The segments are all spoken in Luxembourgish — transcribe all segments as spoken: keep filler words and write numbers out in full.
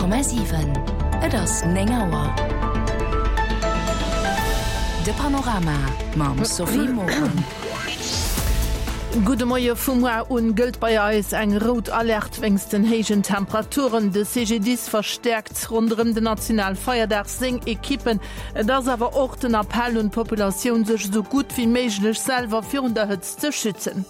Komma siwen, Et ass néng Auer. De Panorama mam Sophie Morang. Gudde Moie, Vu muer un gëllt bei eis eng rout Alerte wéinst den héijen Temperaturen. De C G D I S verstäerkt ronderëm den Nationalfeierdag seng Ekippen. Et ass awer och den Appell un d'Populatioun, sech esou gutt wéi méiglech selwer virun der Hëtzt ze schützen.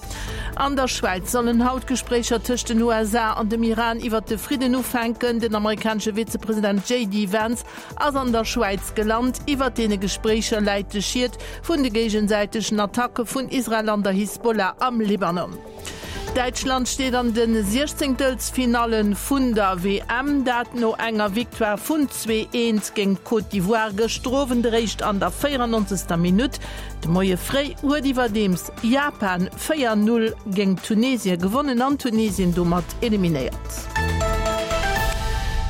An der Schwäiz sollen haut Gespréicher tëscht den U S A an dem Iran iwwer de Fridden ufänken. Den amerikanesche Vizepresident J D Vance ass an der Schwäiz gelant. Iwwer deene Gespréicher läit de Schied vun de géigesäitegen Attacke vun Israel an der Hisbollah am Libanon. Däitschland steet an de Siechzéngtelsfinalle vun der W M, dat no enger Victoire vun zwee eent géint Côte d'Ivoire gëschter Owend eréischt an der véierannonzegster. Minutt. De Moie fréi huet iwwerdeems Japan véier null géint Tunesien gewonnen an Tunesien domat eliminéiert.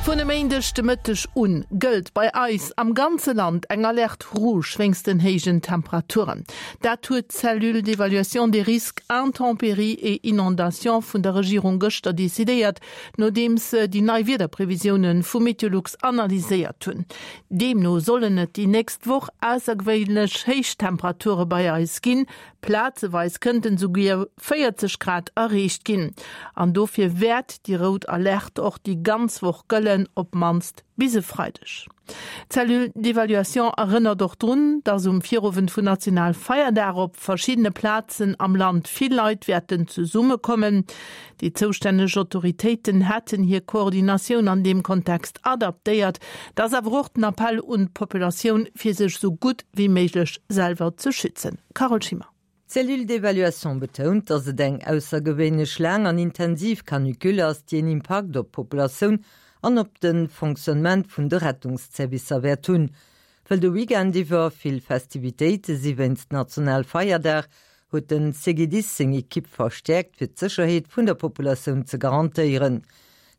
Vun e Méindeg de Mëtteg un gëllt bei eis am ganze Land eng Alerte rouge wéinst den héijen Temperaturen. Dat huet d'Cellule d'évaluation des risques intempéries et inondations vun der Regierung gëschter decidéiert, nodeems se déi nei Wiederprevisioune vu Meteolux analyséiert hunn. Deemno sollen et déi nächst Woch aussergewéinlech héich Temperature bei eis ginn, plazeweis kënnten souguer véierzeg Grad erreecht ginn. An dofir wäert déi rout Alerte och déi ganz Woch gëllen, op d'mannst bis e Freideg. D'Cellule d'évaluation erënnert och drun, dass um Virowend vun Nationalfeierdag op verschiddene Plazen am Land vill Leit wäerten zesummekommen. Déi zoustänneg Autoritéiten hätten hir Koordinatioun an deem Kontext adaptéiert. Dat ass awer och den Appell un d'Populatioun, fir sech sou gutt wéi méiglech selwer ze schützen. Carole Schimmer. D'Cellule d'évaluation betount, dass et eng aussergewéinlech laang an intensiv Canicule ass, déi en Impakt op d'Populatioun an op de Fonctionnement vun de Rettungsservicer wäert hunn. Well de Weekend iwwer vill Festivitéite si wéinst Nationalfeierdag, huet den C G D I S seng Ekipp verstäerkt, fir d'Sécherheet vun der Populatioun ze garantéieren.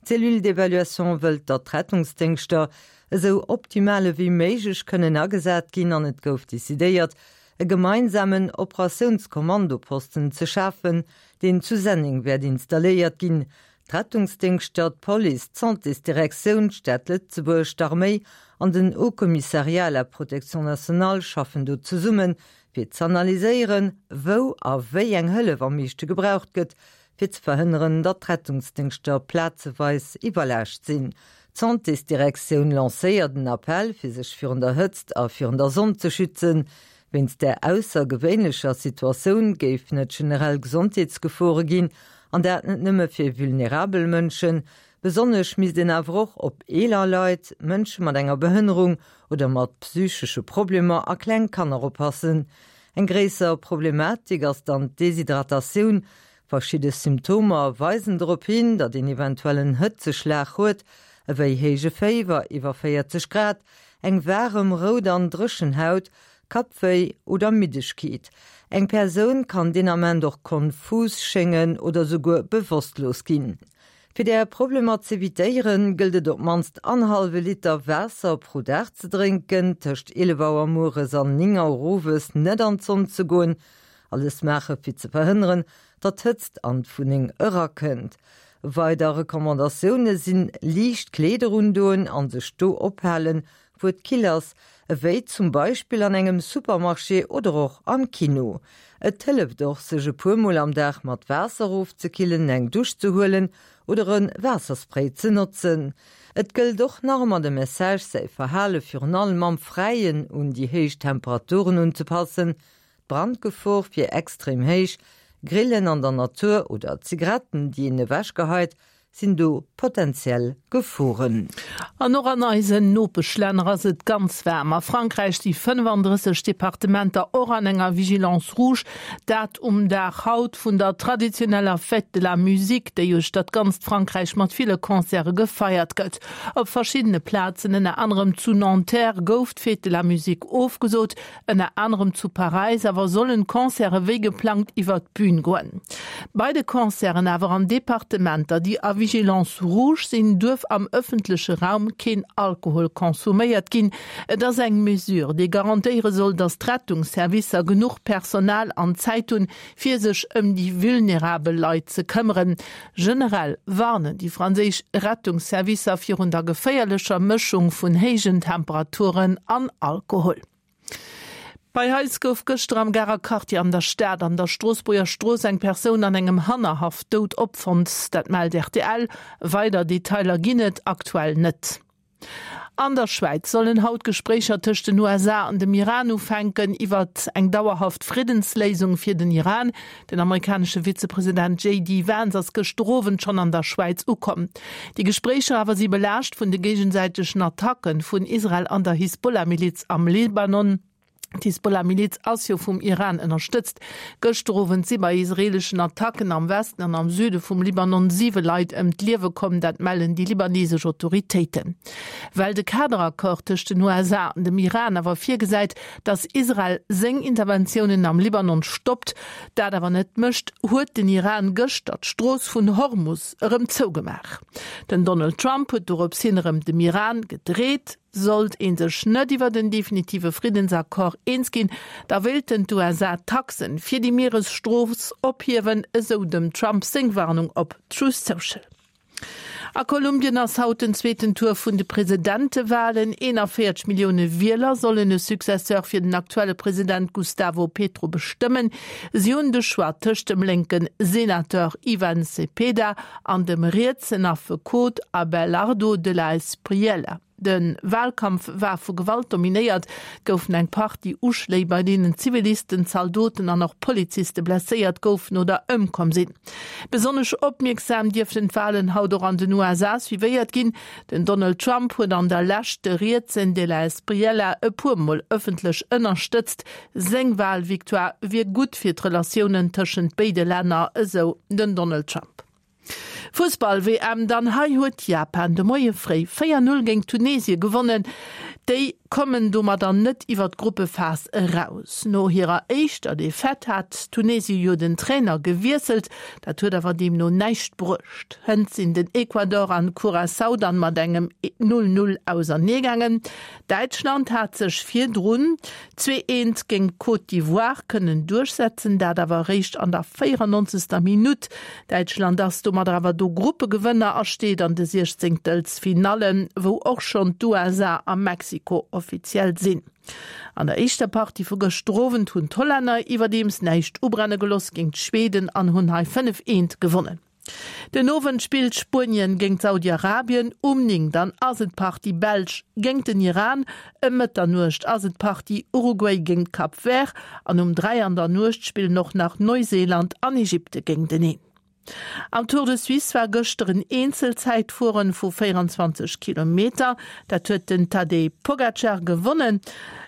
D'Cellule d'évaluation wëllt, datt d'Rettungsdéngschter esou optimal wéi méiglech kënnen agesat ginn an et gouf decidéiert, e gemeinsamen Operatiounskommandoposten ze schafen, deen zu Senneng wäert installéiert ginn. D'Rettungsdéngschter, d'Police, d'Santésdirektioun, d'Stad Lëtzebuerg, d'Arméi an den Haut Commissariat à la Protection nationale schaffen do zesummen, fir z'analyséieren, wou a wéi eng Hëllef am meeschte gebraucht gëtt, fir ze verhënneren, datt d'Rettungsdéngschter plazeweis iwwerlaascht sinn. D'Santésdirektioun lancéiert den Appell, fir sech virun der Hëtzt a virun der Sonn ze schützen. Wéinst der aussergewéinlecher Situatioun géifen et generell Gesondheetsgefore ginn, an dat net nëmme fir vulnerabel Mënschen, besonnesch misst een awer och op eeler Leit, Mënsche mat enger Behënnerung oder mat psychesche Problemer a kleng Kanner oppassen. Eng gréisser Problematik ass dann d'Deshydratatioun. Verschidde Symptomer weisen drop hin, datt een eventuell en Hëtzeschlag huet, ewéi héije Féiwer iwwer véierzeg Grad, eng waarem, rout an dréchen Haut, Kappwéi oder Middegkeet. Eng Persoun kann deen Ament och konfus schéngen oder souguer bewosstlos ginn. Fir där Problemer z'evitéieren, gëllt et op d'mannst annerhallwe Liter Waasser pro Dag ze drénken, tëscht eelef Auer mueres an néng Auer owes net an d'Sonn ze goen, alles maache fir ze verhënneren, datt d'Hëtzt an d'Wunneng erakënnt. Weider Recommandatioune sinn liicht Kleeder undoen an sech do ophalen, wou et kill ass, ewéi zum Beispill an engem Supermarché oder och am Kino. Et hëlleft och, sech e puer Mol am Dag mat Waasser ofzekillen, eng Dusch ze huelen oder e Waasserspray ze notzen. Et gëllt och nach ëmmer de Message, säi Verhale virun allem am Fräien un déi héich Temperaturen unzepassen, Brandgefor wier extrem héich, Grillen an der Natur oder Zigaretten, déi een ewechgeheit, sinn do potenziell Geforen. An och an eisen Nopeschlänner ass et ganz waarm. A Frankräich si fënnefandrësseg Departementer och an enger Vigilance rouge, dat um Dag haut vun der traditioneller Fête de la Musique, déi uechter dat ganzt Frankräich mat ville Concerte gefeiert gëtt. Op verschiddene Plazen, ënner anerem zu Nanterre, gouf d'Fête de la Musique ofgesot, ënner anerem zu Paräis awer sollen d'Concerte wéi geplangt iwwer d'Bün goen. Bei de Concerten awer an Departementer, déi a Vigilance rouge sinn, duerf am ëffentleche Raum keen Alkohol konsuméiert ginn. Et ass eng Mesure, déi garantéiere soll, datt d'Rettungsservicer genuch Personal an Zäit hunn, fir sech ëm déi vulnerabel Leit ze këmmeren. Generell warnen déi franséisch Rettungsservicer virun der geféierlecher Mëschung vun héijen Temperaturen an Alkohol. Bei eis gouf gëschter am Garer Quartier an der Stad an der Stroossbuerger Strooss eng Persoun an engem Hannerhaff dout opfonnt. Dat mellt rtl. Weider Detailer ginn et aktuell net. An der Schwäiz sollen haut Gespréicher tëscht den U S A an dem Iran ufänken iwwert eng dauerhaft Friddensléisung fir den Iran. Den amerikanesche Vizepresident J D Vance ass gëschter Owend schonn an der Schwäiz ukomm. Déi Gespréicher awer si belaascht vun de géigesäitegen Attacke vun Israel an der Hisbollah-Miliz am Libanon. D'Hisbollah-Miliz ass jo vum Iran ënnerstëtzt. Gëschter Owend si bei israeeleschen Attacken am Westen an am Süde vum Libanon siwe Leit ëm d'Liewe komm, dat mellen déi libanesesch Autoritéiten. Well de Kaderaccord tëscht den U S A an dem Iran awer virgesäit, datt Israel seng Interventiounen am Libanon stoppt, dat awer net mécht, huet den Iran gëschter d'Strooss vun Hormus erëm zougemaach. Den Donald Trump huet dorops hin erëm dem Iran gedreet. Sollt ee sech net iwwer den definitive Friddensaccord eens ginn, da wéilten d'U S A Taxen fir déi Mieresstrooss ophiewen, esou dem Trump seng Warnung op Truth Social. A Kolumbien ass haut den zweeten Tour vun de Presidentewalen. eenanvéierzeg Millioune Wieler sollen e Successeur fir den aktuelle President Gustavo Petro bestëmmen. Si hunn de Choix tëscht dem lénke Senateur Ivan Cepeda an dem rietsen Affekot Abelardo de la Espriella. De Walkampf war vu Gewalt dominéiert, goufen eng Partie Uschléi, bei deenen Zivilisten, Zaldoten an och Poliziste blesséiert goufen oder ëmkomm sinn. Besonnesch opmierksam dierften d'Walen haut och an den U S A suivéiert ginn. Den Donald Trump huet an der Lescht de rietsen de la Espriella e puer Mol ëffentlech ënnerstëtzt. Seng Walvictoire wier gutt fir d'Relatiounen tëschent béide Länner, esou den Donald Trump. Fussball-W M dann, hei huet Japan de Moie fréi véier Null géint Tunesie gewonnen. Déi kommen domadder net iwwer d'Gruppephas eraus. No hirer éischter Defaite hat Tunesie jo den Trainer gewiesselt, dat huet awer deemno näischt bruecht. Hënt sinn den Ecuador an Curaçao dann mat engem null Null auserneegaangen. Däitschland hat sech virdrun zwee eent géint Côte d'Ivoire kënnen duerchsetzen, dat awer eréischt an der véierannonzegster Minutt. Däitschland ass domadder awer do Gruppegewënner a steet an de Siechzéngtelsfinallen, wou och schonn d'U S A a Mexiko offiziell sinn. An der éischter Partie vu gëschter Owend hunn d'Hollänner iwwerdeems näischt ubrenne gelooss géint d'Schweden an hunn hei fënnef eent gewonnen. Den Owend spillt Spuenien géint Saudi-Arabien, um néng dann ass et d'Partie Belsch géint den Iran, ëm Mëtternuecht ass et d'Partie Uruguay géint Cap Vert an um dräi an der Nuecht spillen och nach Neuseeland an Ägypte géinteneen. Am Tour de Suisse war gëschter en Eenzelzäitfueren vu véieranzwanzeg Kilometer. Dat huet den Tadej Pogacar gewonnen.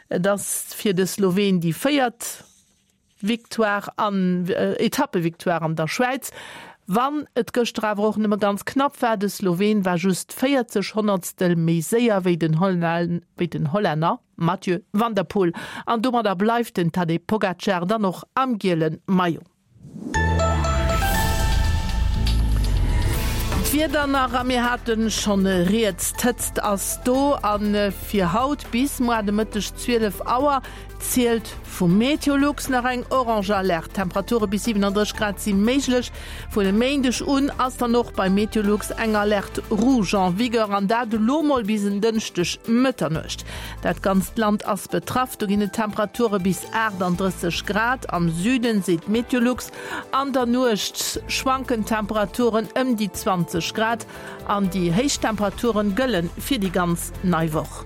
Et ass fir de Sloween déi véiert Victoire an Etappevictoire an der Schwäiz. Wann et gëschter awer och nëmme ganz knapp war, de Sloween war just véierzeg Honnertstel méi séier wéi den Hollänner Mathieu van der Poel. An domadder bleift den Tadej Pogacar dann och am giele Maillot. D'Wieder nach, a mir hate schonn rieds, d'Hëtzt ass do a fir haut bis muer de Mëtteg zwielef Auer zielt vu Meteolux nach eng orange Alerte. Temperature bis siwenandrësseg Grad si méiglech. Vun e Méindeg un ass dann och bei Meteolux eng Alerte rouge en vigueur an dat elo mol bis en Dënschdeg Mëtternuecht. Dat ganzt Land ass betraff, do ginn et Temperature bis achtandrësseg Grad am Süden, seet Meteolux. An der Nuecht schwanken d'Temperaturen ëm déi zwanzeg Grad an déi héich Temperaturen gëlle fir déi ganz nei Woch.